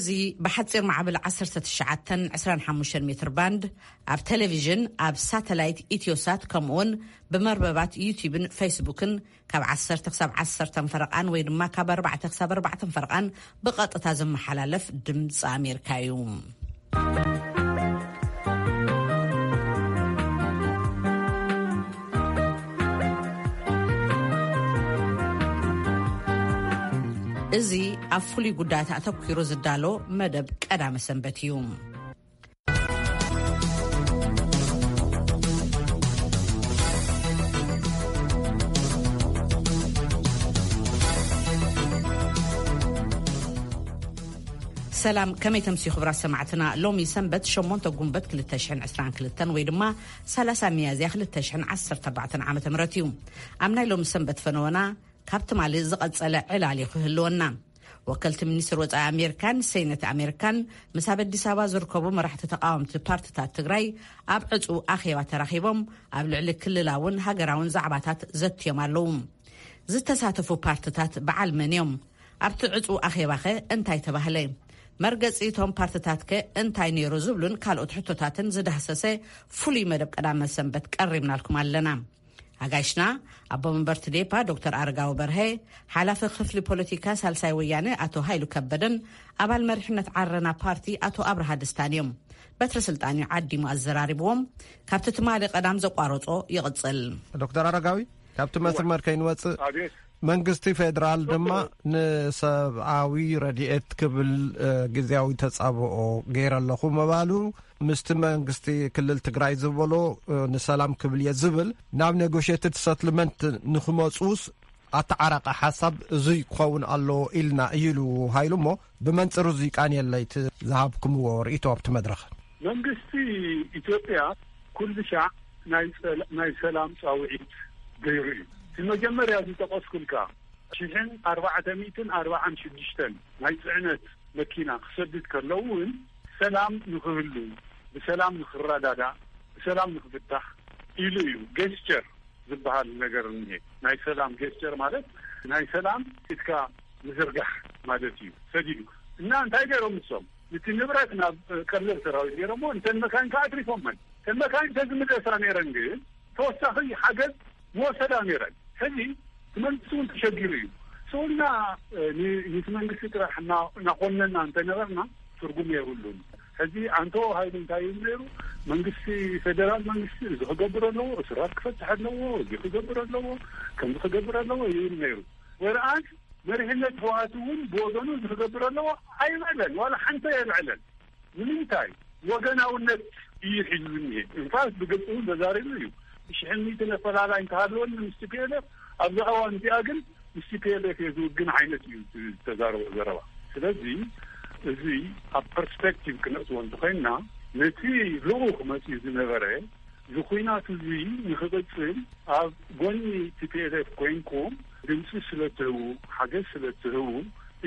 እዚ ብሓጺር ማዕበል ዓሰርተ ትሽዓተ ዕስራን ሓሙሽተን ሜትር ባንድ፣ ኣብ ቴሌቪዥን፣ ኣብ ሳተላይት ኢትዮሳት፣ ከምኡውን ብመርበባት ዩቲዩብን ፌስቡክን ካብ ዓሰርተ ክሳብ ዓሰርተ ፈረቓን ወይ ድማ ካብ ኣርባዕተ ክሳብ ኣርባዕተ ፈረቓን ብቐጥታ ዝመሓላለፍ ድምፂ ኣሜሪካ እዩ። እዚ ኣብ ፍሉይ ጉዳያት ኣተኲሩ ዝዳሎ መደብ ቀዳመ ሰንበት እዩ። ሰላም፣ ከመይ ተምስዩ ክቡራት ሰማዕትና? ሎሚ ሰንበት ሸሞንተ ጉንበት ክልተ ሽሕን ዕስራን ክልተን ወይ ድማ ሰላሳ ሚያዝያ ክልተ ሽሕን ዓሰርተ ኣርባዕተን ዓመተ ምህረት እዩ። ኣብ ናይ ሎሚ ሰንበት ፈነወና ካብ ትማሊ ዝቐጸለ ዕላል እዩ ክህልወና። ወከልቲ ሚኒስትር ወጻኢ ኣሜሪካን ሴኔት ኣሜሪካን ምስ ኣብ ኣዲስ ኣበባ ዝርከቡ መራሕቲ ተቃወምቲ ፓርትታት ትግራይ ኣብ ዕጹው ኣኼባ ተራኺቦም ኣብ ልዕሊ ክልላውን ሃገራውን ዛዕባታት ዘትዮም ኣለዉ። ዝተሳተፉ ፓርትታት በዓል መን እዮም? ኣብቲ ዕጹው ኣኼባኸ እንታይ ተባህለ? መርገጺ እቶም ፓርትታትከ እንታይ ነይሩ? ዝብሉን ካልኦት ሕቶታትን ዝዳህሰሰ ፍሉይ መደብ ቀዳመ ሰንበት ቀሪብናልኩም ኣለና። ኣጋይሽና፣ ኣቦ መንበር ትዴፓ ዶክተር ኣረጋዊ በርሀ፣ ሓላፊ ክፍሊ ፖለቲካ ሳልሳይ ወያነ ኣቶ ሃይሉ ከበደን ኣባል መሪሕነት ዓረና ፓርቲ ኣቶ ኣብርሃ ደስታን እዮም። በትረ ስልጣን እዩ ዓዲሙ ኣዘራሪብዎም። ካብቲ ትማሊ ቀዳም ዘቋረጾ ይቕጽል። ዶክተር ኣረጋዊ፣ ካብቲ መስመር ከይንወጽእ፣ መንግስቲ ፌደራል ድማ ንሰብኣዊ ረድኤት ክብል፣ እ፣ ግዜያዊ ተጻብኦ ገይረ ኣለኹ ምባሉ፣ ምስቲ መንግስቲ ክልል ትግራይ ዝበሎ፣ እ፣ ንሰላም ክብል እየ ዝብል፣ ናብ ኔጎሽየትድ ሰትልመንት ንክመጹስ ኣተዓራቂ ሓሳብ እዙይ ክኸውን ኣለዎ ኢልና እዩ ኢሉ ሃይሉ። እሞ ብመንጽሩ እዙይ ቃንየለይ እቲ ዝሃብኩምዎ ርእይቶ ኣብቲ መድረኽ። መንግስቲ ኢትዮጵያ ኩሉ ሻዕ ናይ ጸላ-፣ ናይ ሰላም ጻውዒት ገይሩ እዩ። እቲ መጀመርያ ዝጠቐስኩልካ ሽሕን ኣርባዕተ ሚእትን ኣርባዓን ሽዱሽተን ናይ ጽዕነት መኪና ክሰድድ ከሎ እውን ሰላም ንክህሉ፣ ብሰላም ንክረዳዳእ፣ ብሰላም ንክፍታሕ ኢሉ እዩ። ጌስቸር ዝበሃል ነገር እኒሄ። ናይ ሰላም ጌስቸር ማለት ናይ ሰላም ኢድካ ምዝርጋሕ ማለት እዩ። ሰዲዱ እና እንታይ ገይሮም ንሶም? እቲ ንብረት ናብ ቀለብ ሰራዊት ገይሮሞ፣ እንተን መካይን ከዓ ኣትሪፎመን። እተን መካይን ተዝምለሳ ነይረን ግን ተወሳኺ ሓገዝ ምወሰዳ ነይረን። ሕዚ እቲ መንግስቲ እውን ተሸጊሩ እዩ። ሰውና፣ እ፣ ን-፣ ነቲ መንግስቲ ጥራሕ እና-፣ እናኾነና እንተነበርና ትርጉም የብሉን። ሕዚ ኣንቶ ሃይሉ እንታይ ይብል ነይሩ? መንግስቲ ፌደራል መንግስቲ እዚ ክገብር ኣለዎ፣ እስራት ክፈትሕ ኣለዎ፣ እዚ ክገብር ኣለዎ፣ ከምዚ ክገብር ኣለዎ ይብል ነይሩ። ወርኣስ መሪሕነት ህወሓት እውን ብወገኑ እዚ ክገብር ኣለዎ ኣይበለን፣ ዋላ ሓንቲ ኣየልዐለን። ንምንታይ? ወገናውነት እዩ ሒዙ ዝኒሄ። ኢንፋክት ብግልፂ እውን ተዛሪቡ እዩ። ሽሕን ሚእትን ኣፈላላይ እንተሃለወኒ ምስ ቲ ፒ ኤል ኤፍ፣ ኣብዛ እዋን እዚኣ ግን ምስ ቲ ፒ ኤል ኤፍ እየ ዝውግን ዓይነት እዩ ዝተዛረቦ ዘረባ። ስለዚ እዚ ኣብ ፐርስፔክቲቭ ክነእትዎ እንተኾይንና፣ ነቲ ልኡኽ መፂኡ ዝነበረ እዚ ኲናት እዚ ንኽቕጽል ኣብ ጎኒ ቲ ፒ ኤል ኤፍ ኮይንኩም ድምፂ ስለ ትህቡ፣ ሓገዝ ስለ ትህቡ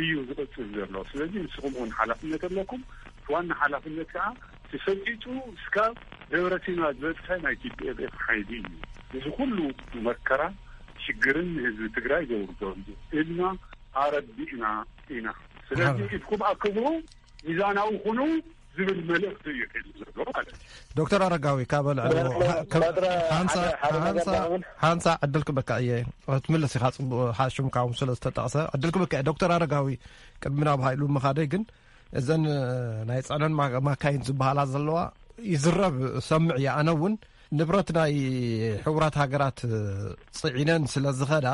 እዩ ዝቕጽል ዘሎ። ስለዚ ንስኹም እውን ሓላፍነት ኣለኩም። እቲ ዋና ሓላፍነት ከዓ ተሰጢጡ እስካብ ደብረሲና ዝበፅሐ ናይ ቲ ፒ ኤል ኤፍ ሓይሊ እዩ። እዚ ኩሉ መከራ ሽግርን ንህዝቢ ትግራይ ዘውርዶ እዩ ኢልና ኣረዲእና ኢና። ስለዚ ኣረ- ኢድኩም ኣክብሩ፣ ሚዛናዊ ኩኑ ዝብል መልእኽቲ እዩ ሒዙ ዘሎ ማለት እዩ። ዶክተር ኣረጋዊ፣ ካብ ልዕሊ ባድራ፣ ሓ-፣ ከም ባድራ ሓንሳ-፣ ሓደ፣ ሓደ ነገር ሓንሳ-፣ ደኣ እውን ሓንሳ ዕድል ክበካ እየ። ክትምልስ ኢኻ፣ ጽቡቕ፣ ሓ-፣ ሽምካ እውን ስለ ዝተጠቕሰ ዕድል ክበካ እየ። ዶክተር ኣረጋዊ፣ ቅድሚ ናብ ሃይሉ ምኻደይ ግን፣ እዘን፣ እ፣ ናይ ጽዕነን ማ-፣ ማካይን ዝበሃላ ዘለዋ ይዝረብ፣ ሰምዕ እየ። ኣነ እውን ንብረት ናይ ሕቡራት ሃገራት፣ እ፣ ጽዒነን ስለ ዝኸዳ፣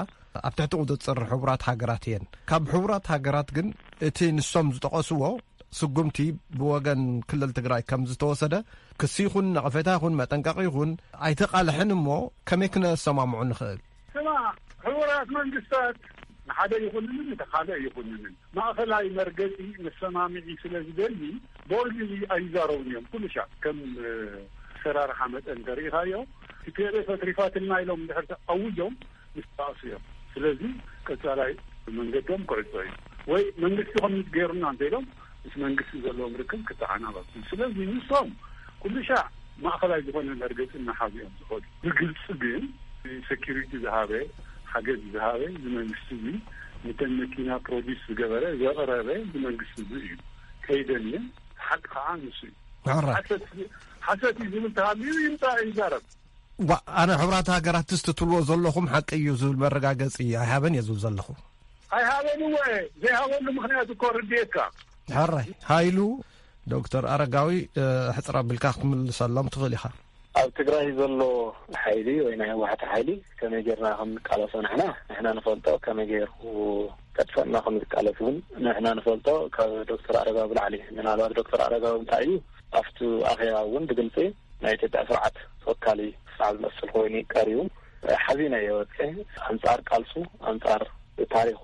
ኣብ ትሕቲ ቁጽጽር ሕቡራት ሃገራት እየን። ካብ ሕቡራት ሃገራት ግን እቲ ንሶም ዝጠቐስዎ ስጉምቲ ብወገን ክልል ትግራይ ከም ዝተወሰደ ክሲ ይኹን ነቐፌታ ይኹን መጠንቀቒ ይኹን ኣይተቓልሐን። እሞ ከመይ ክነሰማምዑ ንኽእል? ስማ፣ ሕቡራት መንግስታት ንሓደ ይኹንንን ንተኻልእ ይኹንንን ማእኸላይ መርገፂ መሰማምዒ ስለ ዝደሊ ቦልድሊ ኣይዛረቡን እዮም። ኩሉ ሻዕ ከም፣ እ፣ ኣሰራርሓ መጠን ተሪኢኻዮ፣ ቲ ፒ ኤል ኤፍ ኣትሪፋትልና ኢሎም እንድሕር ኣውጆም ምስ ተባእሱ እዮም። ስለዚ ቀጻላይ መንገዶም ክዕጾ እዩ። ወይ መንግስቲ ኮሚት ገይሩና እንተኢሎም ምስ መንግስቲ ዘለዎም ርክብ ክተዓናቐፍ እዩ። ስለዚ ንሶም ኩሉ ሻዕ ማእኸላይ ዝኾነ መርገፂ እናሓዙ እዮም ዝኸዱ። ብግልፂ ግን ሴኪሪቲ ዝሃበ፣ ሓገዝ ዝሃበ እዚ መንግስቲ እዚ፣ ነተን መኪና ፕሮዲስ ዝገበረ፣ ዘቕረበ እዚ መንግስቲ እዚ እዩ። ከይደልየ፣ ሓቂ ከዓ ንሱ እዩ። ሕራይ። ሓሰት፣ ሓሰት እዩ ዝብል ተሃልዩ ይምፃእ ይዛረብ። ዋ፣ ኣነ ሕቡራት ሃገራት ትስትትልዎ ዘለኹም ሓቂ እዩ ዝብል መረጋገፂ ኣይሃበን እየ ዝብል ዘለኹ። ኣይሃበን እወ፣ ዘይሃበሉ ምኽንያት እኮ ርድየካ። ሕራይ። ሃይሉ፣ ዶክተር ኣረጋዊ፣ እ፣ ሕፅር ኣቢልካ ክትምልሰሎም ትኽእል ኢኻ። ኣብ ትግራይ ዘሎ ሓይሊ ወይ ናይ ህወሓት ሓይሊ ከመይ ጌርና ከም ንቃለሶ ንሕና፣ ንሕና ንፈልጦ፣ ከመይ ጌርኩ ከጥፈእና ከም ዝቃለስ እውን ንሕና ንፈልጦ። ካብ ዶክተር ኣረጋዊ ብላዕሊ፣ ምናልባት ዶክተር ኣረጋዊ እንታይ እዩ ኣብቲ ኣኼባ እውን ብግልፂ ናይ ኢትዮጵያ ስርዓት ተወካሊ ስርዓት ዝመስል ኮይኑ ቀሪቡ። ሓዚነ እየ ወፅኤ። ኣንፃር ቃልሱ፣ ኣንፃር ታሪኹ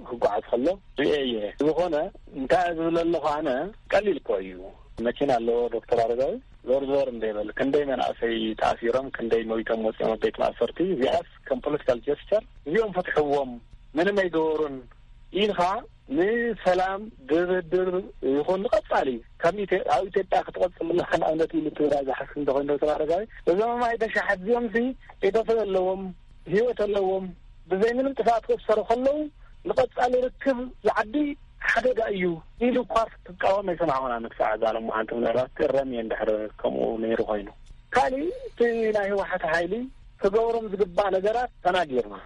ክጓዓዝ ከሎ ሪኤ እየ። ዝኾነ እንታይ ዝብል ኣለኹ ኣነ፣ ቀሊል እኮ እዩ። መኪና ኣለዎ ዶክተር ኣረጋዊ፣ ዞር ዞር እንደ ይበል ክንደይ መናእሰይ ተኣሲሮም፣ ክንደይ መዊቶም ወፂኦም ኣብ ቤት ማእሰርቲ። እዚኣስ ከም ፖለቲካል ጀስቸር እዚኦም ፈትሕዎም፣ ምንም ኣይገበሩን ኢልካ ንሰላም ድርድር ይኹን ንቐጻሊ ከም ኢትዮ-፣ ኣብ ኢትዮጵያ ክትቐጽል ኣለካ ንኣብነት ኢሉ ትግራይ ዝሓስብ እንተኾይኑ ዶክተር ኣረጋዊ፣ እዞም ኣይተ ሻሓት እዚኦም ሲ ቤተሰብ ኣለዎም፣ ህይወት ኣለዎም፣ ብዘይ ምንም ጥፍኣት ክእሰሩ ከለዉ ንቐጻሊ ርክብ ዝዓቢ ሓደጋ እዩ ኢሉ እኳ ክቃወም ኣይሰማዕኩን ኣነ ክሳዕ እዛ ሎማዓንቲ። ምናልባት ክእረም እየ እንድሕር ከምኡ ነይሩ ኮይኑ። ካሊእ እቲ ናይ ህወሓት ሓይሊ ክገብሮም ዝግባእ ነገራት ተናጊርና።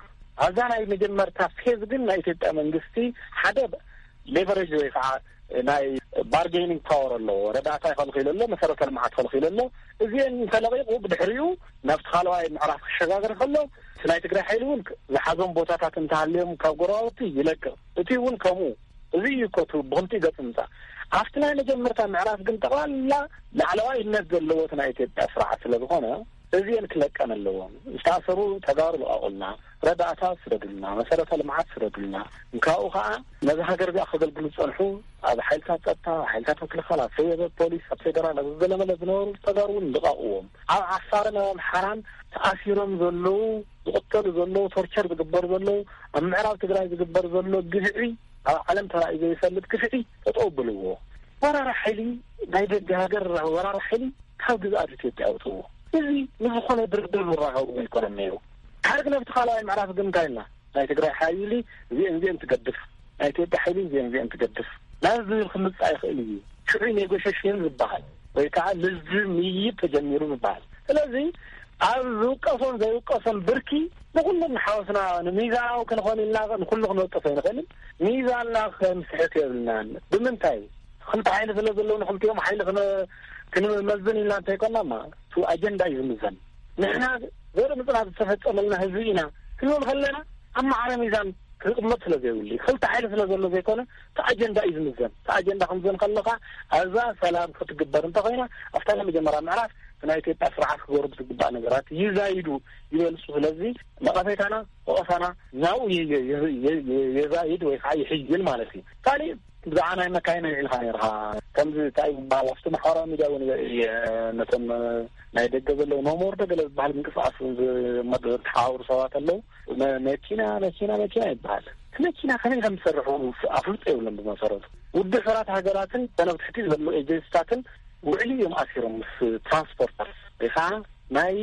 ኣብዛ ናይ መጀመርታ ፌዝ ግን ናይ ኢትዮጵያ መንግስቲ ሓደ ሌቨሬጅ ወይ ከዓ ናይ ባርጌኒንግ ፓወር ኣለዎ። ረዳእታ ይኸልኺሉ ኣሎ፣ መሰረተ ልምዓት ይኸልኺሉ ኣሎ። እዚአን እንተለቂቑ ብድሕሪኡ ናብቲ ካልኣዋይ ምዕራፍ ክሸጋገር ከሎ እቲ ናይ ትግራይ ሓይሊ እውን ዝሓዞም ቦታታት እንተሃልዮም ካብ ጎረባብቲ ይለቅቕ። እቲ እውን ከምኡ። እዚ እዩ እኮ እቲ ብኽልቲኡ ገፅ ምምፃእ። ኣብቲ ናይ መጀመርታ ምዕራፍ ግን ጠቕላላ ላዕለዋይነት ዘለዎ እቲ ናይ ኢትዮጵያ ስርዓት ስለ ዝኾነ እዚአን ክለቀን ኣለዎም። ዝተኣሰሩ ተጋሩ ልቐቑልና፣ ረዳእታ ስደዱልና፣ መሰረተ ልምዓት ስደዱልና። እንካኡ ከዓ ነዚ ሃገር እዚኣ ከገልግሉ ዝፀንሑ ኣብ ሓይልታት ጸጥታ፣ ኣብ ሓይልታት ምክልኻል፣ ኣብ ፌ-፣ ፖሊስ፣ ኣብ ፌደራል፣ ኣብ ገለመለ ዝነበሩ ተጋሩ እውን ልቐቕዎም። ኣብ ዓፋርን ኣብ ኣምሓራን ተኣሲሮም ዘለዉ፣ ዝቕተሉ ዘለዉ፣ ቶርቸር ዝግበር ዘለዉ፣ ኣብ ምዕራብ ትግራይ ዝግበር ዘሎ ግፍዒ፣ ኣብ ዓለም ተራእዩ ዘይፈልጥ ግፍዒ ጠጠው ብልዎ። ወራሪ ሓይሊ፣ ናይ ደገ ሃገር ወራሪ ሓይሊ ካብ ግዝኣት ኢትዮጵያ ኣውፅዎ። እዚ ንዝኾነ ድርድር ዝራኸቡ ኣይኮነን ነይሩ። ድሓር ግን ኣብቲ ካልኣይ ምዕራፍ ግን እንታይ ኢልና? ናይ ትግራይ ሓይሊ እዚአን እዚአን ትገድፍ፣ ናይ ኢትዮጵያ ሓይሊ እዚአን እዚአን ትገድፍ ናብ ዝብል ክምፃእ ይኽእል እዩ። ሽዑ ኔጎሽሽን ዝበሃል ወይ ከዓ ልዝብ ምይይጥ ተጀሚሩ ዝበሃል። ስለዚ ኣብ ዝውቀሶን ዘይውቀሶን ብርኪ ንኩሉ እናሓወስና ንሚዛናዊ ክንኾን ኢልና ንኩሉ ክንወቅስ ኣይንኽእልን። ሚዛንና ክንስሕት የብልናን። ብምንታይ? ክልተ ሓይሊ ስለ ዘለዉ ንክልቲኦም ሓይሊ ክነ-፣ ክንመዝን ኢልና እንተይኮንና ማ፣ እቲ ኣጀንዳ እዩ ዝምዘን። ንሕና ዘርኢ ምፅናት ዝተፈፀመልና ህዝቢ ኢና ክንብል ከለና ኣብ ማዕረ ሚዛን ክቕመጥ ስለ ዘይብሉ፣ ክልተ ሓይሊ ስለ ዘሎ ዘይኮነ፣ እቲ ኣጀንዳ እዩ ዝምዘን። እቲ ኣጀንዳ ክምዘን ከለኻ ኣብዛ ሰላም ክትግበር እንተኾይና፣ ኣብታ ናይ መጀመርያ ምዕራፍ ናይ ኢትዮጵያ ስርዓት ክገብሩ ዝግባእ ነገራት ይዛይዱ፣ ይበልፁ። ስለዚ ነቐፌታና፣ ወቐሳና ናብኡ የ-፣ የ-፣ የ-፣ የ-፣ የዛይድ ወይ ከዓ ይሕይል ማለት እዩ። ካሊእ ብዛዕባ ናይ መካይን ኣልዒልካ ነይርካ። ከምዚ እንታይ ይበሃል፣ ኣብቲ ማሕበራዊ ሚድያ እውን እየ ነቶም ናይ ደገ ዘለዉ ኖሞር ዶ ገለ ዝበሃል ምንቅስቃስ እውን ዝ-፣ መድ-፣ ተሓባብሩ ሰባት ኣለዉ። መ-፣ መኪና፣ መኪና፣ መኪና ይበሃል። እቲ መኪና ከመይ ከም ዝሰርሑ ኣፍልጦ የብሎም ብመሰረቱ። ውድብ ሕቡራት ሃገራትን ተን ኣብ ትሕቲ ዘለዉ ኤጀንሲታትን ውዕሊ እዮም ኣሲሮም ምስ ትራንስፖርተርስ ወይ ከዓ ናይ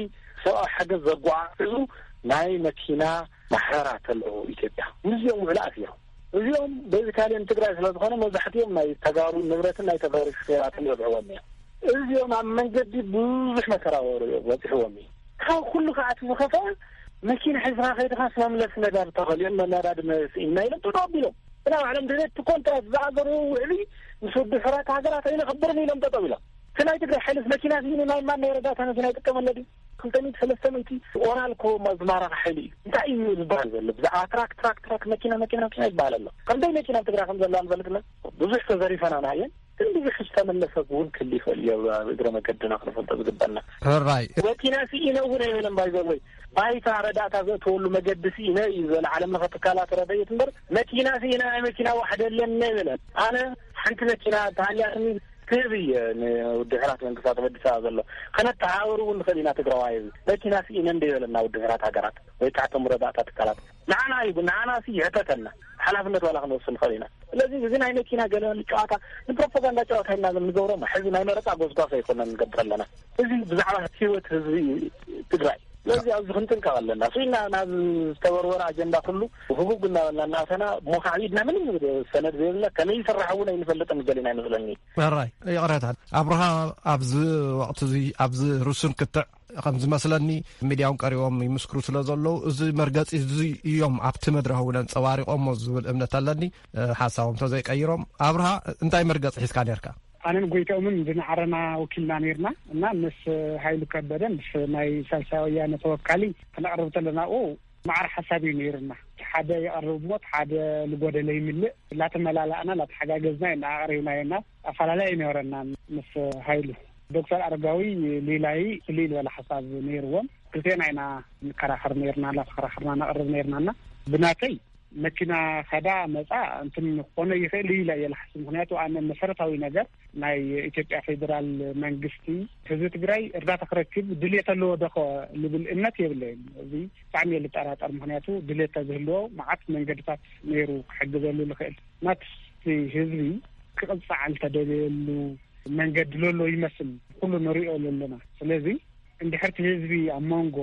ሰብኣዊ ሓገዝ ዘጓዓዕዙ ናይ መኪና ማሕበራት ኣለዉ ኢትዮጵያ። ምስዚኦም ውዕሊ ኣሲሮም። እዚኦም ቤዚካሊ ንትግራይ ስለ ዝኾነ መብዛሕትኦም ናይ ተጋሩ ንብረትን ናይ ተጋሩ ሹፌራትን ይበልዕዎም እዮም። እዚኦም ኣብ መንገዲ ብዙሕ መከራ ወረ-፣ በፂሕዎም እዩ። ካብ ኩሉ ከዓ እቲ ዝኸፍአ መኪና ሒዝካ ከይድኻስ መምለሲ ነዳዲ ተኸልዮም ነዳዲ ስኢንና ኢሎም ጠጠው ኣቢሎም። ብናይ ባዕሎም ድሌት እቲ ኮንትራት ዝኣዘሩ ውዕሊ ምስ ውድብ ሕቡራት ሃገራት ኣይነኽብርን ኢሎም ጠጠው ኢሎም። እቲ ናይ ትግራይ ሓይልስ መኪና ስኢኑ ናይ ማን ናይ ረዳእታ መኪና ይጥቀመለ ድዩ? ክልተ ሚእቲ ሰለስተ ሚእቲ ኦራል እኮ ማ-፣ ዝማረኸ ሓይሊ እዩ። እንታይ እዩ ዝበሃል ዘሎ? ብዛዕባ ትራክ፣ ትራክ፣ ትራክ፣ መኪና፣ መኪና፣ መኪና ይበሃል ኣሎ። ክንደይ መኪና ኣብ ትግራይ ከም ዘላ ንፈልጥና? ብዙሕ ተዘሪፈና ናየን፣ ግን ብዙሕ ዝተመለሰ እውን ክል ይኽእል እዩ። ኣብ እግረ መገድና ክንፈልጦ ዝግበና። ሕራይ። መኪና ስኢነ እውን ኣይበለን። ባይዘወይ ባይታ ረዳእታ ዘእተወሉ መገዲ ስኢነ እዩ ዝበለ ዓለም ለኸ ትካላት ረድኤት እምበር፣ መኪና ስኢነ ናይ መኪና ዋሕዲ ኣለኒ ኣይበለን። ኣነ ሓንቲ መኪና ተሃልያትኒ ክህብ እየ ንውድብ ሕራት መንግስታት ኣብ ኣዲስ ኣበባ ዘሎ። ከነተሓባብር እውን ንኽእል ኢና ትግራዋይ። መኪና ስኢነ እንደ ይበለና ውድብ ሕራት ሃገራት ወይ ከዓ እቶም ረዳእታ ትካላት። ንዓና እዩ፣ ንዓና ሲ ይሕተተና። ሓላፍነት ዋላ ክንወስድ ንኽእል ኢና። ስለዚ እዚ ናይ መኪና ገለ ጨዋታ ንፕሮፓጋንዳ ጨዋታ ኢና ንገብሮ። ሕዚ ናይ መረፃ ጎስጓስ ኣይኮነን ንገብር ኣለና። እዚ ብዛዕባ ህይወት ህዝቢ ትግራይ ስለዚ ኣብዚ ክንጥንቀቕ ኣለና። ስኢና ናብ ዝተበርበረ ኣጀንዳ ኩሉ ህጉግ እናበልና እናኣተና፣ እሞ ካዕቢድና ምንም ሰነድ ዘይብልና፣ ከመይ ይስራሕ እውን ኣይንፈልጥን፣ ገሊና ይመስለኒ። ሕራይ፣ ይቕረታ ኣብርሃ፣ ኣብዚ ወቕቲ እዚ፣ ኣብዚ ርሱን ክትዕ ከም ዝመስለኒ፣ ሚድያውን ቀሪቦም ይምስክሩ ስለ ዘለዉ፣ እዚ መርገጺ እዚ እዮም ኣብቲ መድረኽ እውን ኣንጸባሪቖሞ ዝብል እምነት ኣለኒ። ሓሳቦም ተዘይቀይሮም። ኣብርሃ፣ እንታይ መርገጺ ሒዝካ ነርካ? ኣነን ጎይታኦምን ዝንዓረና ወኪልና ነርና እና ምስ ሃይሉ ከበደ፣ ምስ ናይ ሳልሳይ ወያነ ተወካሊ፣ ክነቕርብ ተለና፣ ኡ፣ ማዕረ ሓሳብ እዩ ነይርና። እቲ ሓደ ይቐርብ እሞ እቲ ሓደ ልጎደለ ይምልእ። ላተመላላእና፣ ላተሓጋገዝና ኢና ኣቕሪብናዮ እና ኣፈላላይ ኣይነበረና። ምስ ሃይሉ፣ ዶክተር ኣረጋዊ ሊላይ ፍልይ ዝበለ ሓሳብ ነይርዎም። ክልቴና ኢና ንከራኸር ነይርና፣ ላተኸራኸርና ነቕርብ ነይርና እና ብናተይ መኪና ከዳ መጻ እንትን ክኾነ ይኽእል እዩ ኢለ እየ ዝሓስብ። ምኽንያቱ ኣነ መሰረታዊ ነገር ናይ ኢትዮጵያ ፌዴራል መንግስቲ ህዝቢ ትግራይ እርዳታ ክረክብ ድልየት ኣለዎ ዶ ኸ ልብል እምነት የብለይን። እዚ ብጣዕሚ እየ ልጠራጠር። ምኽንያቱ ድልየት ተዝህልዎ መዓት መንገድታት ነይሩ ክሕግዘሉ ልኽእል። ናትቲ ህዝቢ ክቕጻዕ ልተደለየሉ መንገዲ ለሎ ይመስል፣ ኩሉ ንሪኦ ለሎና። ስለዚ እንድሕር እቲ ህዝቢ ኣብ መንጎ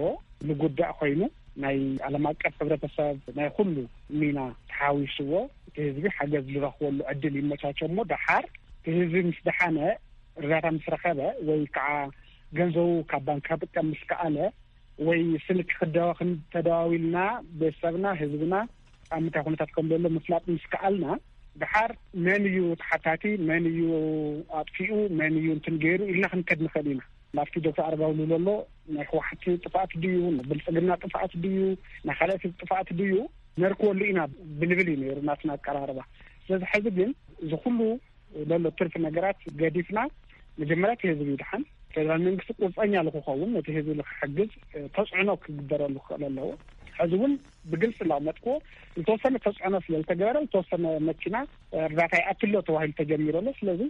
ንጉዳእ ኮይኑ፣ ናይ ዓለም ኣቀፍ ሕብረተሰብ ናይ ኩሉ ሚና ተሓዊስዎ፣ እቲ ህዝቢ ሓገዝ ዝረኽበሉ ዕድል ይመቻቸ እሞ፣ ደሓር እቲ ህዝቢ ምስ ደሓነ፣ እርዳታ ምስ ረኸበ፣ ወይ ከዓ ገንዘቡ ካብ ባንክ ክጥቀም ምስ ከኣለ፣ ወይ ስልክ ክደዋ-፣ ክን-፣ ተደዋዊልና ቤተሰብና፣ ህዝብና ኣብ ምንታይ ኩነታት ከም ዘሎ ምፍላጥ ምስ ከኣልና፣ ደሓር መን እዩ ተሓታቲ፣ መን እዩ ኣጥፊኡ፣ መን እዩ እንትን ገይሩ ኢልና ክንከድ ንኽእል ኢና። ኣብቲ ዶክተር ኣረጋዊ ዝብሎ ኣሎ፣ ናይ ህወሓት ጥፍኣት ድዩ፣ ናይ ብልፅግና ጥፍኣት ድዩ፣ ናይ ካልኦት ጥፍኣት ድዩ፣ ነርክበሉ ኢና ብንብል እዩ ነይሩ ናትና ኣቀራርባ። ስለዚ ሕዚ ግን እዚ ኩሉ ዘሎ ትርፊ ነገራት ገዲፍና፣ መጀመርያ እቲ ህዝቢ ይድሓን። ፌደራል መንግስቲ ቁርፀኛ ንክኸውን፣ ነቲ ህዝቢ ንክሕግዝ፣ እ፣ ተፅዕኖ ክግበረሉ ክኽእል ኣለዎ። ሕዚ እውን ብግልፂ እንዳመጥክዎ፣ ዝተወሰነ ተፅዕኖ ስለ ዝተገበረ፣ ዝተወሰነ መኪና፣ እ፣ እርዳታ ይኣትሎ ተባሂሉ ተጀሚሩ ኣሎ። ስለዚ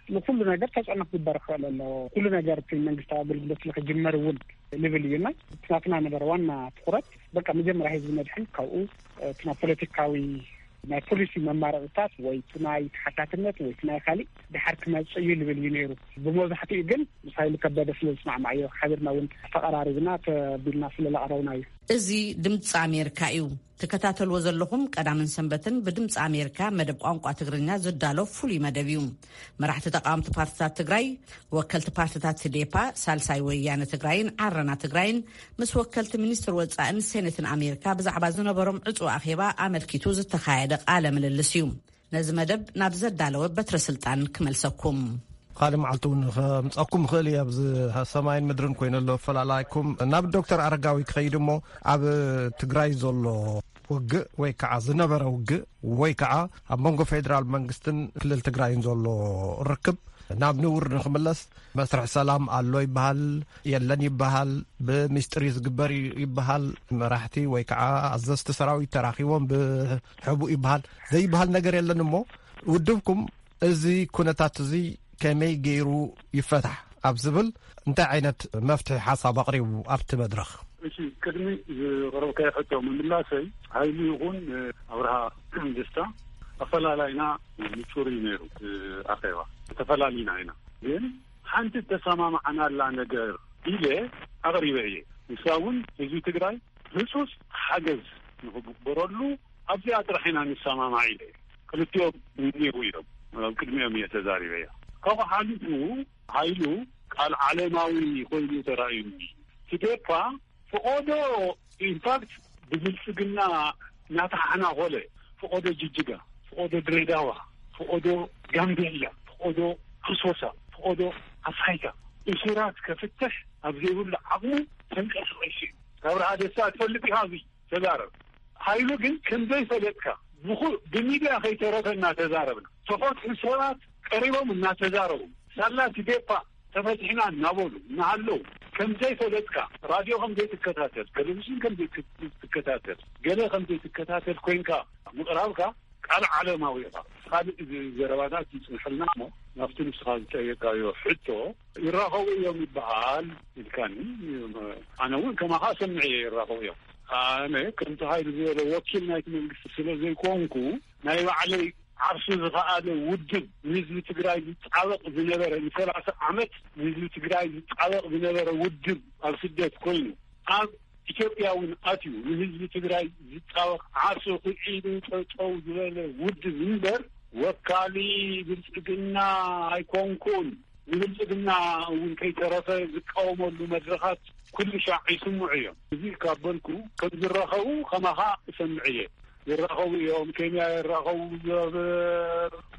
ንኩሉ ነገር ተፅዕኖ ክግበር ክኽእል ኣለዎ። ኩሉ ነገር እቲ መንግስታዊ ኣገልግሎት ንክጅመር እውን ንብል እዩና። እቲ ናትና ነበረ ዋና ትኹረት፣ በቃ መጀመርያ ህዝቢ ነድሕን፣ ካብኡ፣ እ፣ እቲ ናብ ፖለቲካዊ ናይ ፖሊሲ መማረፅታት ወይ እቲ ናይ ተሓታትነት ወይ እቲ ናይ ካሊእ ድሓር ክመፅእ እዩ ልብል እዩ ነይሩ። ብመብዛሕትኡ ግን ምስ ሃይሉ ከበደ ስለ ዝስማዕማዕዮ ሓቢርና እውን ተቐራሪብና ተቢልና ስለ ዘቕረብና እዩ። እዚ ድምፂ ኣሜሪካ እዩ። ትከታተልዎ ዘለኹም ቀዳምን ሰንበትን ብድምፂ ኣሜሪካ መደብ ቋንቋ ትግርኛ ዝዳሎ ፍሉይ መደብ እዩ። መራሕቲ ተቃወምቲ ፓርትታት ትግራይ፣ ወከልቲ ፓርትታት ህዴፓ፣ ሳልሳይ ወያነ ትግራይን ዓረና ትግራይን ምስ ወከልቲ ሚኒስትር ወፃእን ሴኔትን ኣሜሪካ ብዛዕባ ዝነበሮም ዕፁ ኣኼባ ኣመልኪቱ ዝተኻየደ ቃለ ምልልስ እዩ። ነዚ መደብ ናብ ዘዳለወ በትረ ስልጣን ክመልሰኩም። ካልእ መዓልቲ እውን ከምፀኩም ይኽእል እየ። ኣብዚ ሰማይን ምድርን ኮይኑ ኣሎ ኣፈላላይኩም። ናብ ዶክተር ኣረጋዊ ክኸይድ እሞ፣ ኣብ ትግራይ ዘሎ ውግእ ወይ ከዓ ዝነበረ ውግእ ወይ ከዓ ኣብ መንጎ ፌደራል መንግስትን ክልል ትግራይን ዘሎ ርክብ ናብ ንቡር ንክምለስ መስርሕ ሰላም ኣሎ ይበሃል፣ የለን ይበሃል፣ ብሚስጥር እዩ ዝግበር ይበሃል፣ መራሕቲ ወይ ከዓ ኣዘዝቲ ሰራዊት ተራኺቦም ብሕቡእ ይበሃል፣ ዘይበሃል ነገር የለን። እሞ ውድብኩም እዚ ኩነታት እዚ ከመይ ገይሩ ይፈታሕ ኣብ ዝብል እንታይ ዓይነት መፍትሒ ሓሳብ ኣቕሪቡ ኣብቲ መድረኽ? እሺ፣ ቅድሚ ዝቕረብካዮ ሕቶ ምምላሰይ፣ ሃይሉ ይኹን ኣብርሃ ደስታ ኣፈላላይና ንጹር እዩ ነይሩ። ኣኼባ ተፈላሊና ኢና፣ ግን ሓንቲ ተሰማማዕናላ ነገር ኢለ ኣቕሪበ እየ። ንሳ እውን ህዝቢ ትግራይ ህጹጽ ሓገዝ ንኽግበረሉ ኣብዚኣ ጥራሕ ኢና ንሰማማዕ ኢለ። ክልቲኦም እኒአው እዮም፣ ኣብ ቅድሚኦም እየ ተዛሪበያ። ካብኡ ሓሊፉ ሃይሉ ቃል ዓለማዊ ኮይኑ ተራእዩኒ። ትዴፓ ፍቖዶ፣ ኢንፋክት ብብልጽግና እናተሓሕናኾለ ፍቖዶ ጅጅጋ፣ ፍቖዶ ድሬዳዋ፣ ፍቖዶ ጋምቤላ፣ ፍቖዶ ኣሶሳ፣ ፍቖዶ ኣሳይታ እሱራት ከፍትሕ ኣብ ዘይብሉ ዓቕሙ ተንቀሳቒሱ እዩ። ካብ ረሃ ደስታ ትፈልጥ ኢኻ፣ እዚ ተዛረብ። ሃይሉ ግን ከም ዘይፈለጥካ ብኹ-፣ ብሚድያ ከይተረፈ እናተዛረብና፣ ተፈትሑ ሰባት ቀሪቦም እናተዛረቡ፣ ሳላ ትዴፓ ተፈቲሕና እናበሉ እናሃለዉ፣ ከም ዘይፈለጥካ፣ ራድዮ ከም ዘይትከታተል፣ ቴሌቪዥን ከም ዘይትከታተል፣ ገለ ከም ዘይትከታተል ኮይንካ ምቕራብካ ቃል ዓለማዊ ኢኻ። ካልእ ዝ-፣ ዘረባታት ይጽንሐልና እሞ፣ ናብቲ ንስኻ ዝጠየቃዮ ሕቶ፣ ይራኸቡ እዮም ይበሃል ኢልካኒ። ኣነ እውን ከማኻ ሰምዐ እየ፣ ይራኸቡ እዮም። ኣነ ከምቲ ሃይሉ ዝበሎ ወኪል ናይቲ መንግስቲ ስለ ዘይኮንኩ፣ ናይ ባዕለይ ዓርሱ ዝኸኣለ ውድብ፣ ንህዝቢ ትግራይ ዝጣበቕ ዝነበረ፣ ንሰላሳ ዓመት ንህዝቢ ትግራይ ዝጣበቕ ዝነበረ ውድብ ኣብ ስደት ኮይኑ፣ ኣብ ኢትዮጵያ እውን ኣትዩ ንህዝቢ ትግራይ ዝጣወቕ ዓርሱ ክዒዱ ጠጠው ዝበለ ውድብ እምበር ወካሊ ብልጽግና ኣይኮንኩን። ንብልጽግና እውን ከይተረፈ ዝቃወመሉ መድረኻት ኩሉ ሻዕ ይስምዑ እዮም። እዚ ካብ በልኩ ከም ዝራኸቡ ከማኻ እሰምዕ እየ። ይራኸቡ እዮም። ኬንያ ይራኸቡ፣ ኣብ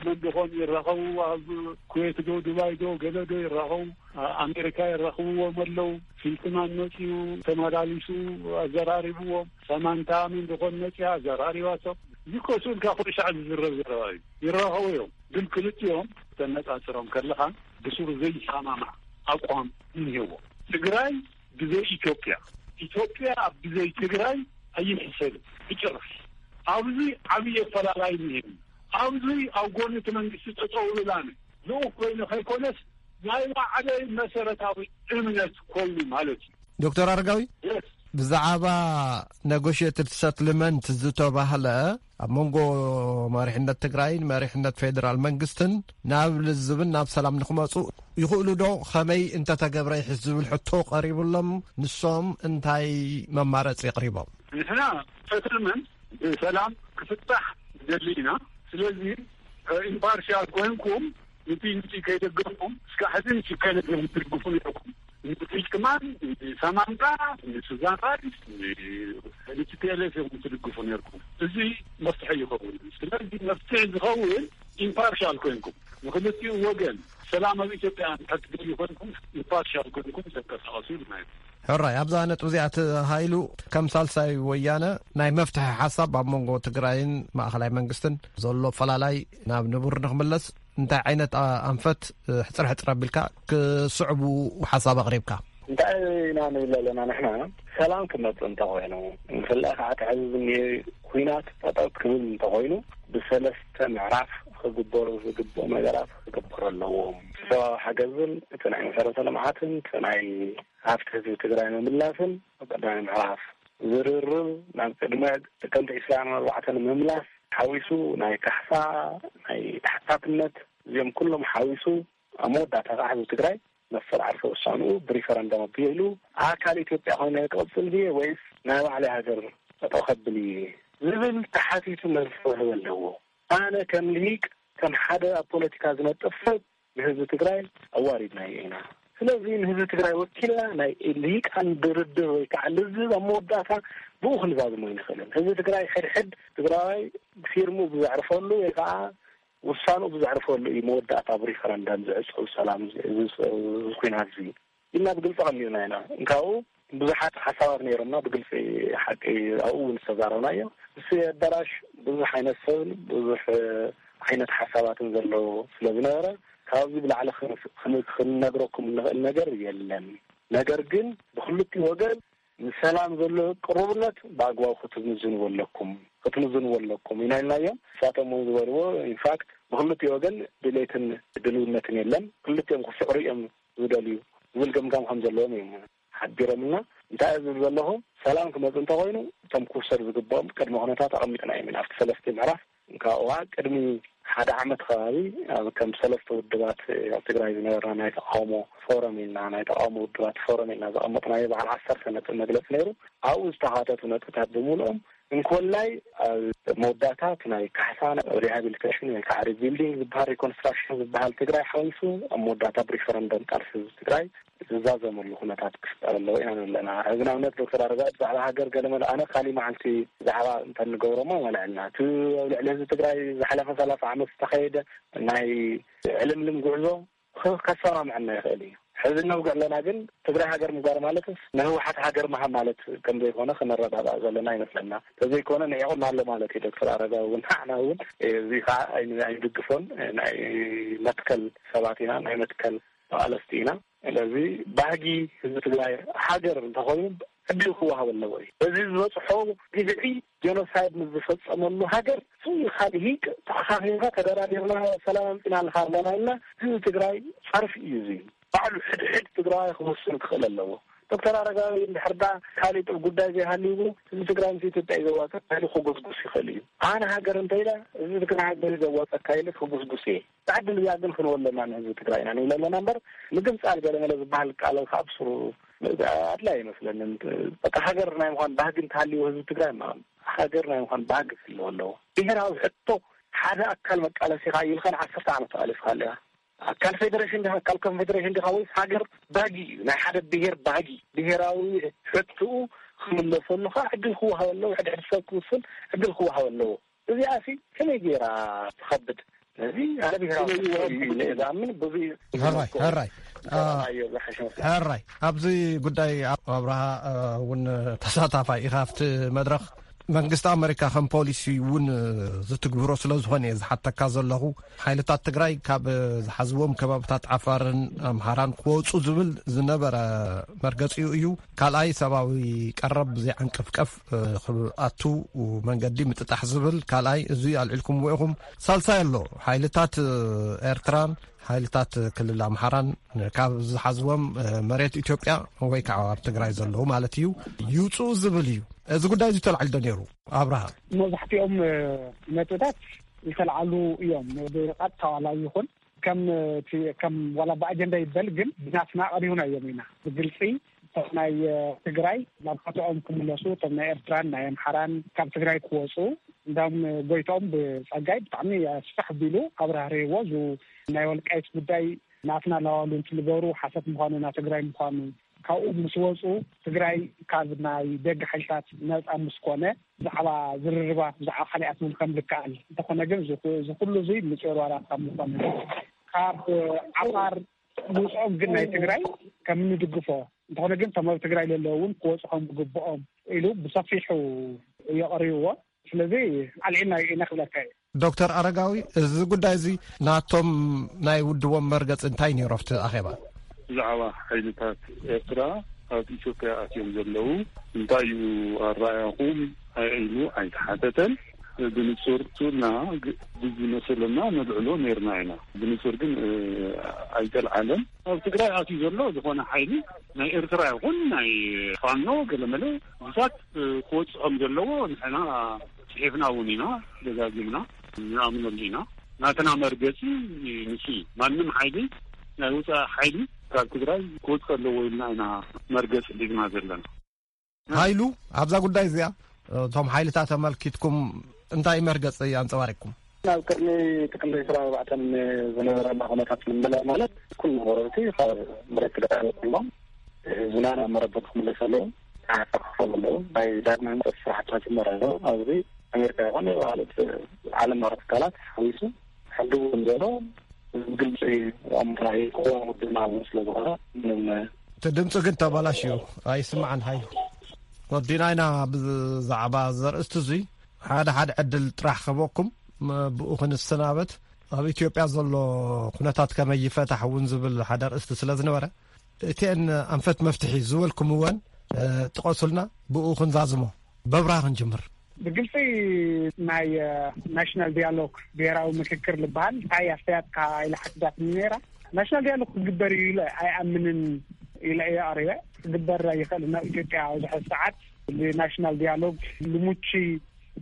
መንደኾም ይራኸቡ፣ ኣብ ኩዌት ዶ ዱባይ ዶ ገለ ዶ ይራኸቡ፣ ኣ-፣ ኣሜሪካ ይራኸብዎም ኣለዉ። ፊልትማን መፂኡ ተመላሊሱ ኣዘራሪብዎም። ሰማንታ መንደኾም መፂኣ ኣዘራሪባቶም። እዚ እኮ ስእልካ ኩሉ ሻዕ ዝዝረብ ዘረባ እዩ። ይራኸቡ እዮም። ግን ክልቲኦም ተነፃፅሮም ከለኻ ብስሩ ዘይሰማማዕ ኣቋም እኒሄዎ። ትግራይ ብዘይ ኢትዮጵያ፣ ኢትዮጵያ ኣብ ብዘይ ትግራይ ኣይሕሰብን ብጭራሽ። ኣብዚ ዓብዪ ኣፈላላይ እኒሄኒ። ኣብዚ ኣብ ጎኒ እቲ መንግስቲ ጠጠው ኢላኒ ልኡኽ ኮይኑ ከይኮነስ ናይ ባዕለይ መሰረታዊ እምነት ኮይኑ ማለት እዩ። ዶክተር ኣረጋዊ፣ የስ። ብዛዕባ ነጎሽየትድ ሰትልመንት ዝተባህለ ኣብ መንጎ መሪሕነት ትግራይን መሪሕነት ፌዴራል መንግስትን ናብ ልዝብን ናብ ሰላም ንክመፁ ይኽእሉ ዶ? ከመይ እንተተገብረ ይሕሽ ዝብል ሕቶ ቀሪቡሎም፣ ንሶም እንታይ መማረፂ ኣቕሪቦም? ንሕና ሰትልመንት ብሰላም ክፍታሕ ንደሊ ኢና። ስለዚ ኢምፓርሻል ኮይንኩም ንቲ ንቲ ከይደገፍኩም እስካዕ ሕዚ ንሽካይነት እዮም ትድግፉ ነይርኩም። ንፊልትማን፣ ንሰማንታ፣ ንሱዛን ራይስ፣ ንቲፒኤልኤፍ እዮም ትድግፉ ነይርኩም። እዚ መፍትሒ ይኸውን። ስለዚ መፍትሒ ዝኸውን ኢምፓርሻል ኮይንኩም ንክልቲኡ ወገን ሰላም ኣብ ኢትዮጵያ ክትደልዩ ኮይንኩም ኢምፓርሻል ኮይንኩም ተንቀሳቐሱ ኢልና ኢና። ሕራይ ኣብዛ ነጥቢ እዚኣ ተሃይሉ ከም ሳልሳይ ወያነ ናይ መፍትሒ ሓሳብ ኣብ መንጎ ትግራይን ማእኸላይ መንግስትን ዘሎ ፈላላይ ናብ ንቡር ንክምለስ እንታይ ዓይነት ኣ-፣ ኣንፈት፣ እ፣ ሕፅር ሕፅር ኣቢልካ ክስዕቡ ሓሳብ ኣቕሪብካ? እንታይ ኢና ንብል ኣለና ንሕና? ሰላም ክመጽእ እንተኾይኑ፣ ንክልእ ከዓ እቲ ሕዚ ዝኒሄ ኲናት ጠጠው ክብል እንተኾይኑ፣ ብሰለስተ ምዕራፍ ክግበሩ ዝግብኦም ነገራት ክግበሩ ኣለዎም። ሰብኣዊ ሓገዝን እቲ ናይ መሰረተ ልምዓትን እቲ ናይ ሃፍቲ ህዝቢ ትግራይ ምምላስን ኣብ ቀዳማይ ምዕራፍ ዝርርብ ናብ ቅድመ ጥቅምቲ ዕስራን ኣርባዕተን ምምላስ ሓዊሱ ናይ ካሕሳ ናይ ተሓታትነት እዚኦም ኩሎም ሓዊሱ ኣብ መወዳእታ ከዓ ህዝቢ ትግራይ መሰል ዓርሰ ውሳንኡ ብሪፈረንደም ኣቢሉ ኣካል ኢትዮጵያ ኮይኑ ክቕፅል ድየ ወይስ ናይ ባዕለይ ሃገር ጠጠው ከብል እየ ዝብል ተሓቲቱ መልሲ ክህብ ኣለዎ። ኣነ ከም ልሂቅ ከም ሓደ ኣብ ፖለቲካ ዝነጥፍ ሰብ ንህዝቢ ትግራይ ኣዋሪድናዮ ኢና። ስለዚ ንህዝቢ ትግራይ ወኪልና ናይ ልሂቃን ድርድር ወይ ከዓ ልዝብ ኣብ መወዳእታ ብኡ ክንዛዝሞ ኣይንኽእልን። ህዝቢ ትግራይ ሕድሕድ ትግራዋይ ፊርሙ ብዘዕርፈሉ ወይ ከዓ ውሳንኡ ብዘዕርፈሉ እዩ መወዳእታ ኣብ ሪፈረንደም ዝዕፀው ሰላም እዚ፣ እዚ፣ እዚ ኲናት እዚ ኢልና ብግልፂ ቀሚጥና ኢና። እንካኡ ብዙሓት ሓሳባት ነይሮምና ብግልፂ ሓቂ ኣብኡ እውን ዝተዛረብናዮ። እዚ ኣዳራሽ ብዙሕ ዓይነት ሰብን ብዙሕ ዓይነት ሓሳባትን ዘለዎ ስለ ዝነበረ ካብዚ ብላዕሊ ክን-፣ ክን-፣ ክንነግረኩም እንኽእል ነገር የለን። ነገር ግን ብክልቲኡ ወገን ንሰላም ዘሎ ቅሩብነት ብኣግባቡ ክትምዝንዎ ኣለኩም፣ ክትምዝንዎ ኣለኩም ኢና ኢልናዮም። ንሳቶም እውን ዝበልዎ ኢንፋክት ብክልቲኡ ወገን ድሌትን ድልውነትን የለን፣ ክልቲኦም ክስዕሩ እዮም ዝደልዩ ዝብል ገምጋም ከም ዘለዎም እዮም ሓቢሮምና። እንታይ ዝብል ዘለኹ ሰላም ክመፅ እንተኮይኑ እቶም ክውሰድ ዝግብኦም ቅድመ ኩነታት ኣቐሚጥና እዮም ኢና ኣብቲ ሰለስተ ምዕራፍ እንካዋ ቅድሚ ሓደ ዓመት ከባቢ ኣብ ከም ሰለስተ ውድባት ኣብ ትግራይ ዝነበርና ናይ ተቃውሞ ፎረም ኢልና ናይ ተቃውሞ ውድባት ፎረም ኢልና ዘቐመጥናዮ በዓል ዓሰርተ ነጥብ መግለፂ ነይሩ። ኣብኡ ዝተካተቱ ነጥብታት ብምልኦም እንኮላይ ኣብ መወዳእታ እቲ ናይ ካሕሳ ሪሃቢሊቴሽን ወይ ከዓ ሪቢልዲንግ ዝበሃል ሪኮንስትራክሽን ዝበሃል ትግራይ ሓዊሱ ኣብ መወዳእታ ብሪፈረንደም ቃልሲ ህዝቢ ትግራይ ዝዛዘመሉ ኩነታት ክፍጠር ኣለዎ ኢና ንብለና። ሕዚ ንኣብነት ዶክተር ኣረጋዊ ብዛዕባ ሃገር ገለመለ ኣነ ካሊእ መዓልቲ ዛዕባ እንተንገብሮሞ ማለዐልና እቲ ኣብ ልዕሊ ህዝቢ ትግራይ ዝሓለፈ ሰላሳ ዓመት ዝተኸየደ ናይ ዕልምልም ጉዕዞ ከ-፣ ከሰማምዐና ይኽእል እዩ። ሕዚ ነውግዕ ኣለና ግን ትግራይ ሃገር ምግባር ማለትስ ንህወሓት ሃገር ምሃብ ማለት ከም ዘይኮነ ክነረዳዳእ ዘለና ይመስለና። ተዘይኮነ ንዒቑና ኣሎ ማለት እዩ ዶክተር ኣረጋዊ እውን ንዓና እውን እዚ ከዓ ኣይን-፣ ኣይንድግፎን ናይ መትከል ሰባት ኢና ናይ መትከል ተቓለስቲ ኢና። ስለዚ ባህጊ ህዝቢ ትግራይ ሃገር እንተኾይኑ ዕድል ክወሃብ ኣለዎ እዩ። እዚ ዝበፅሖ ግፍዒ ጀኖሳይድ ምስ ዝፈፀመሉ ሃገር ስኢኻ ልሂቅ ተኣኻኺብካ ተደራዲርና ሰላም ኣምፂና ኣለካ ኣለና ኢልና ህዝቢ ትግራይ ፀርፊ እዩ። እዚ ባዕሉ ሕድሕድ ትግራዋይ ክወስን ክኽእል ኣለዎ። ዶክተር ኣረጋዊ እንድሕር ዳ ካሊእ ጥብ ጉዳይ ዘይሃልይዎ ህዝቢ ትግራይ ምስ ኢትዮጵያ እዩ ዘዋፅእ ተባሂሉ ክጉስጉስ ይኽእል እዩ። ኣነ ሃገር እንተኢለ ህዝቢ ትግራይ ሃገር እዩ ዘዋፀካ ኢለ ክጉስጉስ እየ። ብዕድል እዚኣ ግን ክንወለና ንህዝቢ ትግራይ ኢና ንብል ኣለና እምበር ምግንፃል ገለመለ ዝበሃል ቃል ካብ ስሩ ኣድላይ ኣይመስለንን። በቃ ሃገር ናይ ምዃን ባህጊ እንተሃልይዎ ህዝቢ ትግራይ፣ ማ-፣ ሃገር ናይ ምዃን ባህጊ ክህልዎ ኣለዎ። ብሄራዊ ሕቶ ሓደ ኣካል መቃለሲ ኢኻ ኢልካ ንዓሰርተ ዓመት ተቃሊስካ ኣለኻ። ኣካል ፌደሬሽን ዲኻ፣ ኣካል ኮንፌደሬሽን ዲኻ ወይስ ሃገር ባህጊ እዩ? ናይ ሓደ ብሄር ባህጊ፣ ብሄራዊ ሕቶኡ ክምለሰሉ ከዓ ዕድል ክወሃብ ኣለዎ። ሕድሕድ ሰብ ክውስን ዕድል ክወሃብ ኣለዎ። እዚኣ ሲ ከመይ ገይራ ትኸብድ? ስለዚ ኣነ ብሄራዊ ሕቶ እዩ ኢለ እየ ዝኣምን። ብዙ እዩ ሕራይ፣ ሕራይ። አ፣ ኣዮ ዝሓሸ መስሎ። ሕራይ። ኣብዚ ጉዳይ ኣብ-፣ ኣብርሃ፣ አ፣ እውን ተሳታፋይ ኢኻ ኣብቲ መድረኽ። መንግስቲ ኣመሪካ ከም ፖሊሲ እውን ዝትግብሮ ስለ ዝኾነ እየ ዝሓተካ ዘለኹ። ሓይልታት ትግራይ ካብ ዝሓዝዎም ከባብታት ዓፋርን ኣምሓራን ክወፁ ዝብል ዝነበረ መርገፂኡ እዩ። ካልኣይ ሰብኣዊ ቀረብ ብዘይዓንቀፍቀፍ ክኣቱ መንገዲ ምጥጣሕ ዝብል ካልኣይ እዚ ኣልዒልኩምዎ ኢኹም። ሳልሳይ ኣሎ ሓይልታት ኤርትራን ሓይልታት ክልል ኣምሓራን ካብ ዝሓዝዎም መሬት ኢትዮጵያ ወይ ከዓ ኣብ ትግራይ ዘለዉ ማለት እዩ ይውፅኡ ዝብል እዩ። እዚ ጉዳይ እዚ ተላዒሉ ዶ ነይሩ ኣብርሃ? መብዛሕትኦም ነጥብታት ዝተለዓሉ እዮም። ብቐጥታ ዋላ ይኹን ከም እቲ፣ ከም ዋላ ብኣጀንዳ ይበል ግን ብናትና ቀሪብና እዮም ኢና ብግልፂ እቶም ናይ ትግራይ ናብ ቦታኦም ክምለሱ፣ እቶም ናይ ኤርትራን ናይ ኣምሓራን ካብ ትግራይ ክወፁ እንዳም ጎይቶም ብፀጋይ ብጣዕሚ ኣስፋሕ ቢሉ ኣብራህርህዎ። እዚ ናይ ወልቃይት ጉዳይ ናትና ላዋሉ እንትንበሩ ሓሰት ምዃኑ፣ ና ትግራይ ምዃኑ ካብኡ ምስ ወፁ ትግራይ ካብ ናይ ደገ ሓይልታት ነፃ ምስ ኮነ ብዛዕባ ዝርርባ ብዛዕባ ካልኣት እውን ከም ዝከኣል እንተኾነ ግን እዚ ኩ-፣ እዚ ኩሉ እዚ ንፅዮር ዋላ ካብ ምኾነ ካብ ዓፋር ምውፅኦም ግን ናይ ትግራይ ከም ንድግፎ እንተኾነ ግን እቶም ኣብ ትግራይ ዘለዉ እውን ክወፁ ከም ዝግብኦም ኢሉ ብሰፊሑ የቕርብዎ። ስለዚ ኣልዒልና ኢና ክብለካ እዩ። ዶክተር ኣረጋዊ፣ እዚ ጉዳይ እዚ ናቶም ናይ ውድቦም መርገፂ እንታይ ነይሩ ኣብቲ ኣኼባ? ብዛዕባ ሓይልታት ኤርትራ ኣብ ኢትዮጵያ ኣትዮም ዘለዉ እንታይ እዩ ኣረኣያኹም ኢሉ ኣይተሓተተን። ብንጹር ቱና ግ-፣ ብዝመስለና ነልዕሎ ነይርና ኢና። ብንጹር ግን፣ እ፣ ኣይተልዓለን። ኣብ ትግራይ ኣትዩ ዘሎ ዝኾነ ሓይሊ ናይ ኤርትራ ይኹን ናይ ፋኖ ገለመለ ብዙታት፣ እ፣ ክወጽእ ከም ዘለዎ ንሕና ጽሒፍና እውን ኢና፣ ደጋጊምና ንኣምነሉ ኢና። ናትና መርገጺ ንሱ እዩ። ማንም ሓይሊ፣ ናይ ወጻኢ ሓይሊ ካብ ትግራይ ክወጽእ ኣለዎ ኢልና ኢና መርገጺ ሒዝና ዘለና። ሃይሉ፣ ኣብዛ ጉዳይ እዚኣ እቶም ሓይልታት ኣመልኪትኩም እንታይ መርገጺ ኣንጸባሪቕኩም? ኣብ ቅድሚ ጥቅምቲ ዕስራን ኣርባዕተን ዝነበረና ኩነታት ንምምላእ ማለት ኩሉ ወረርቲ ካብ መሬት ትግራይ ወፂኦም ህዝብና ናብ መረበቱ ክምለስ ኣለዎ። ክሓፋፍፎም ኣለዎ። ናይ ዳግማይ ህንፀት ስራሕቲ ክጅመር ኣለዎ። ኣብዚ ኣሜሪካ ይኹን ካልኦት ዓለም ለኸ ትካላት ሓዊሱ ሕጊ እውን ዘሎ ብግልፂ ኣምራሂ ክኸውን ውድና እውን ስለ ዝኾነ ምንም እቲ ድምፂ ግን ተባላሽዩ ኣይስማዕን። ሃይሉ፣ ወዲና ኢና ብዛዕባ ዘርእስቲ እዙይ ሓደ ሓደ ዕድል ጥራሕ ክህበኩም፣ ም-፣ ብኡ ክንሰናበት። ኣብ ኢትዮጵያ ዘሎ ኩነታት ከመይ ይፈታሕ እውን ዝብል ሓደ ኣርእስቲ ስለ ዝነበረ፣ እቲአን ኣንፈት መፍትሒ ዝበልኩምወን፣ እ፣ ጥቐሱልና፣ ብኡ ክንዛዝሞ። በብርሃ ክንጅምር። ብግልፂ ናይ፣ እ፣ ናሽናል ዲያሎግ፣ ብሄራዊ ምክክር ዝበሃል እንታይ ኣስተያየትካ ኢላ ሓቲታትኒ ነይራ። ናሽናል ዲያሎግ ክግበር እዩ ኢለ ኣይኣምንን ኢለ እየ ኣቕሪበ። ክግበር ኣይኽእልን። ኣብ ኢትዮጵያ ኣብዚ ሕዚ ሰዓት ብናሽናል ዲያሎግ ልሙቺ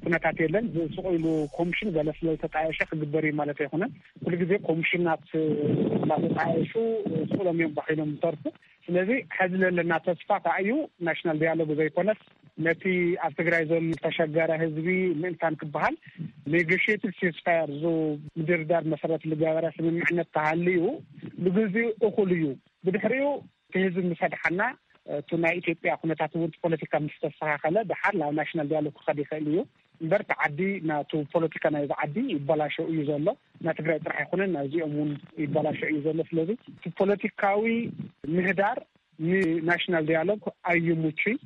ኩነታት የለን። ስቕ ኢሉ ኮሚሽን ገለ ስለ ዝተጣየሸ ክግበር እዩ ማለት ኣይኮነን። ኩሉ ግዜ ኮሚሽናት እናተጣየሹ ስቕ ኢሎም እዮም ባኺሎም ዝተርፉ። ስለዚ ሕዚ ለለና ተስፋ ከዓ እዩ ናሽናል ዲያሎግ ዘይኮነስ ነቲ ኣብ ትግራይ ዘሎ ዝተሸገረ ህዝቢ ምእንታን ክበሃል ኔጎሽየትድ ሲስፋየር፣ ዙ ምድርዳር መሰረት ዝገበረ ስምምዕነት ተሃልዩ ንግዜኡ እኹል እዩ። ብድሕሪኡ እቲ ህዝቢ ምስ ኣድሓና፣ እቲ ናይ ኢትዮጵያ ኩነታት እውን ፖለቲካ ምስ ተስተኻኸለ፣ ደሓር ናብ ናሽናል ዲያሎግ ክኸድ ይኽእል እዩ። እምበር፣ እቲ ዓዲ፣ ናቱ ፖለቲካ ናይዚ ዓዲ ይበላሸው እዩ ዘሎ። ናይ ትግራይ ጥራሕ ኣይኮነን፣ ናይዚኦም እውን ይበላሸው እዩ ዘሎ። ስለዚ፣ እቲ ፖለቲካዊ ምህዳር ንናሽናል ዲያሎግ ኣይምቹይ።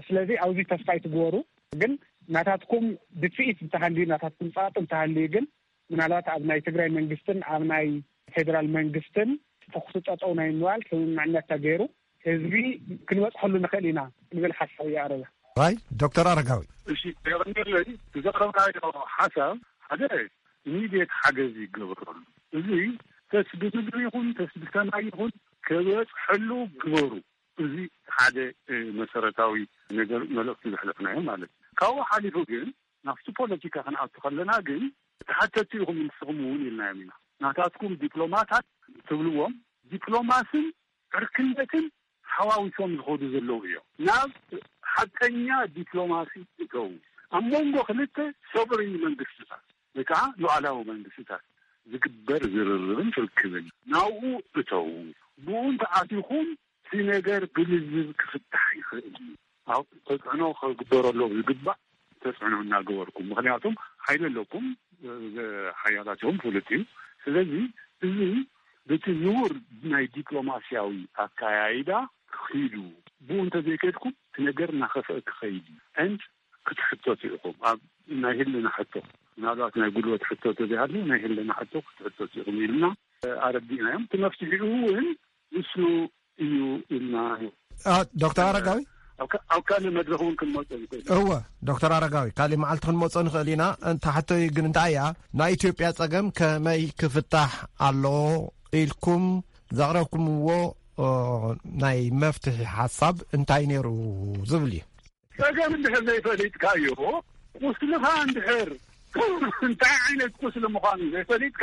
ስለዚ፣ ኣብዚ ተስፋ ኣይትግበሩ። ግን ናታትኩም ድፍኢት እንተሃልዩ፣ ናታትኩም ጸቕጢ እንተሃልዩ ግን፣ ምናልባት ኣብ ናይ ትግራይ መንግስትን ኣብ ናይ ፌደራል መንግስትን ተኹሲ ጠጠው ናይ ምባል ስምምዕነት ተገይሩ ህዝቢ ክንበፅሐሉ ንኽእል ኢና ዝብል ሓሳብ እየ ኣረጋ። ራይ ዶክተር ኣረጋዊ። እሺ፣ የቐንየለይ። ዝዘቕረብካዮ ሓሳብ ሓደ ኢሚድየት ሓገዝ ይገበረሉ። እዚ ተስቢ ምግቢ ይኹን ተስቢ ሰማይ ይኹን ክበፅሐሉ ግበሩ። እዚ ሓደ፣ እ፣ መሰረታዊ ነገር መልእኽቲ ዘሕለፍናዮ ማለት እዩ። ካብኡ ሓሊፉ ግን ናብቲ ፖለቲካ ክንኣቱ ከለና ግን ተሓተቲ ኢኹም ንስኹም እውን ኢልናዮም ኢና። ናታትኩም ዲፕሎማታት ትብልዎም ዲፕሎማስን ዕርክነትን ተሓዋዊሶም ዝኸዱ ዘለዉ እዮም። ናብ ሓቀኛ ዲፕሎማሲ እተዉ፣ ኣብ መንጎ ክልተ ሶቨሪን መንግስትታት ወይ ከዓ ሉዓላዊ መንግስትታት ዝግበር ዝርርብን ርክብን ናብኡ እተዉ። ብኡ እንተኣቲኹም እቲ ነገር ብልዝብ ክፍታሕ ይኽእል እዩ። ኣብ ተፅዕኖ ክግበረሎም ዝግባእ ተፅዕኖ እናገበርኩም፣ ምኽንያቱም ሓይሊ ኣለኩም፣ ሓያላት እዮም፣ ፍሉጥ እዩ። ስለዚ እዚ በቲ ንቡር ናይ ዲፕሎማስያዊ ኣካያይዳ ክኺዱ፣ ብኡ እንተዘይከድኩም እቲ ነገር እናኸፍአ ክኸይድ እዩ። And ክትሕተቱ ኢኹም ኣብ ናይ ህልና ሕቶ፣ ምናልባት ናይ ጉልበት ሕቶ ተዘይሃልዩ ናይ ህልና ሕቶ ክትሕተቱ ኢኹም ኢልና ኣረዲእናዮም። እቲ መፍትሒኡ እውን ንሱ እዩ ኢልና። ዶክተር ኣረጋዊ፣ ኣብ ካልእ መድረኽ እውን ክንመፀ ንኽእል። እወ፣ ዶክተር ኣረጋዊ፣ ካልእ መዓልቲ ክንመፀ ንኽእል ኢና። እንተ ሕቶይ ግን እንታይ እያ፣ ናይ ኢትዮጵያ ፀገም ከመይ ክፍታሕ ኣለዎ ኢልኩም ዘቕረብኩምዎ ናይ መፍትሒ ሓሳብ እንታይ ነይሩ ዝብል እዩ። ጸገም እንድሕር ዘይፈሊጥካዮ፣ ቁስልኻ እንድሕር እንታይ ዓይነት ቁስሊ ምዃኑ ዘይፈሊጥካ፣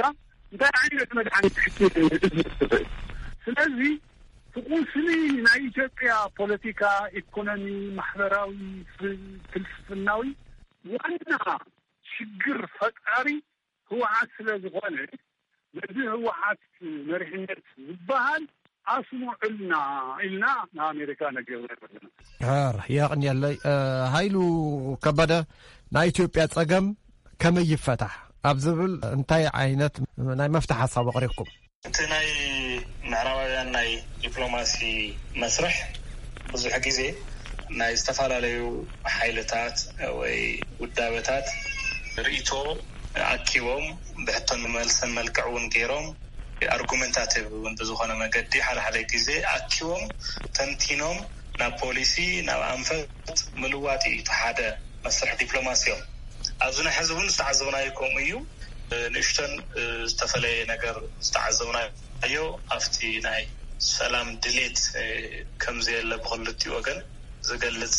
እንታይ ዓይነት መድሓኒት ክትህብ ትኽእል? ስለዚ እቲ ቁስሊ ናይ ኢትዮጵያ ፖለቲካ፣ ኢኮኖሚ፣ ማሕበራዊ፣ ፍ- ፍልስፍናዊ ዋና ሽግር ፈጣሪ ህወሓት ስለ ዝኾነ፣ ነዚ ህወሓት መሪሕነት ዝበሃል ኣስምዑልና ኢልና ንኣሜሪካ ነጊርና ኣለና። ሕር የቕንየለይ። ሃይሉ ከበደ፣ ናይ ኢትዮጵያ ጸገም ከመይ ይፈታሕ ኣብ ዝብል እንታይ ዓይነት ናይ መፍትሒ ሓሳብ ኣቕሪብኩም? እቲ ናይ ምዕራባውያን ናይ ዲፕሎማሲ መስርሕ ብዙሕ ግዜ ናይ ዝተፈላለዩ ሓይልታት ወይ ውዳበታት ርእይቶ ኣኪቦም፣ ብሕቶን ብመልሰን መልክዕ እውን ገይሮም፣ ኣርጉመንታቲቭ እውን ብዝኾነ መገዲ ሓደ ሓደ ግዜ ኣኪቦም ተንቲኖም ናብ ፖሊሲ፣ ናብ ኣንፈት ምልዋጥ እዩ እቲ ሓደ መስርሕ ዲፕሎማሲ እዮም። ኣብዚ ናይ ሕዚ እውን ዝተዓዘብናዮ ከምኡ እዩ። ንእሽተን ዝተፈለየ ነገር ዝተዓዘብናዮ ኣብቲ ናይ ሰላም ድሌት ከምዘየለ ብክልቲኡ ወገን ዝገልጽ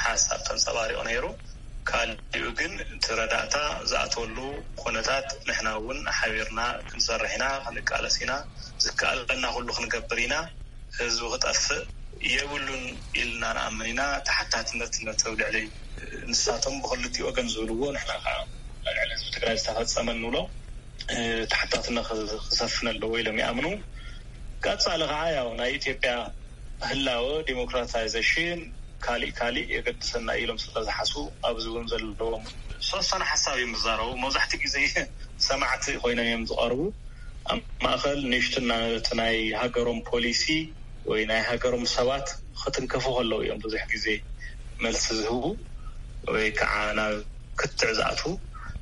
ሓሳብ ተንጸባሪቑ ነይሩ። ካልኡ ግን እቲ ረዳእታ ዝኣተወሉ ኩነታት ንሕና እውን ሓቢርና ክንሰርሕ ኢና፣ ክንቃለስ ኢና፣ ዝከኣለና ኩሉ ክንገብር ኢና። ህዝቢ ክጠፍእ የብሉን ኢልና ንኣምን ኢና። ተሓታትነት ነቲ ኣብ ልዕሊ ንሳቶም ብክልቲኡ ወገን ዝብልዎ፣ ንሕና ከዓ ኣብ ልዕሊ ህዝቢ ትግራይ ዝተፈጸመ እንብሎ ተሓታትነት ክሰፍን ኣለዎ ኢሎም ይኣምኑ። ቀጻሊ ከዓ ያው ናይ ኢትዮጵያ ህላወ፣ ዲሞክራታይዜሽን፣ ካሊእ ካሊእ የገድሰና ኢሎም ስለ ዝሓስቡ ኣብዚ እውን ዘለዎም ዝተወሰነ ሓሳብ እዮም ዝዛረቡ። መብዛሕትኡ ግዜ ሰማዕቲ ኮይኖም እዮም ዝቐርቡ። ኣብ ማእኸል ንእሽትና እቲ ናይ ሃገሮም ፖሊሲ ወይ ናይ ሃገሮም ሰባት ክትንከፉ ከለዉ እዮም ብዙሕ ግዜ መልሲ ዝህቡ ወይ ከዓ ናብ ክትዕ ዝኣትዉ።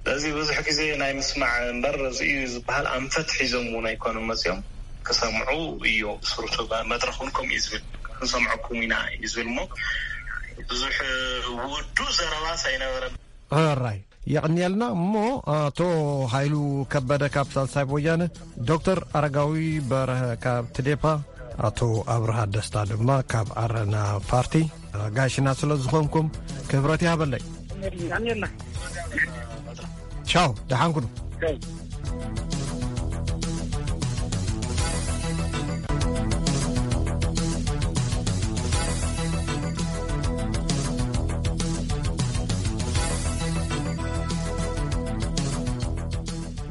ስለዚ ብዙሕ ግዜ ናይ ምስማዕ እምበር እዚ እዩ ዝበሃል ኣንፈት ሒዞም እውን ኣይኮኑን መፅዮም፣ ክሰምዑ እዩ ብስሩቱ። መድረኽ እውን ከምኡ እዩ ዝብል፣ ክንሰምዐኩም ኢና እዩ ዝብል እሞ ብዙሕ ውዱእ ዘረባስ ኣይነበረን። ሕራይ የቕንየልና። እሞ ኣቶ ሃይሉ ከበደ ካብ ሳልሳይ ወያነ፣ ዶክተር ኣረጋዊ በርሀ ካብ ትዴፓ፣ ኣቶ ኣብርሃ ደስታ ድማ ካብ ዓረና ፓርቲ ኣጋይሽና ስለ ዝኾንኩም ክብረት ይሃበለይ። ቻው፣ ደሓን ኩኑ።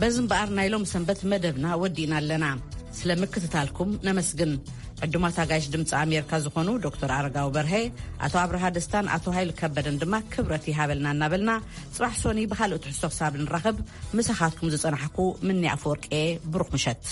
በዚ እምበኣር ናይ ሎም ሰንበት መደብና ወዲእና ኣለና። ስለ ምክትታልኩም ነመስግን። ዕዱማት ኣጋይሽ ድምፂ ኣሜሪካ ዝኾኑ ዶክተር ኣረጋዊ በርሀ፣ ኣቶ ኣብርሃ ደስታን ኣቶ ሃይሉ ከበደን ድማ ክብረት ይሃበልና እናበልና፣ ፅባሕ ሶኒ ብኻልእ ትሕዝቶ ክሳብ ንራኸብ፣ ምሳኻትኩም ዝፀናሕኩ ምኒ ኣፈወርቂ እየ። ብሩኽ ምሸት።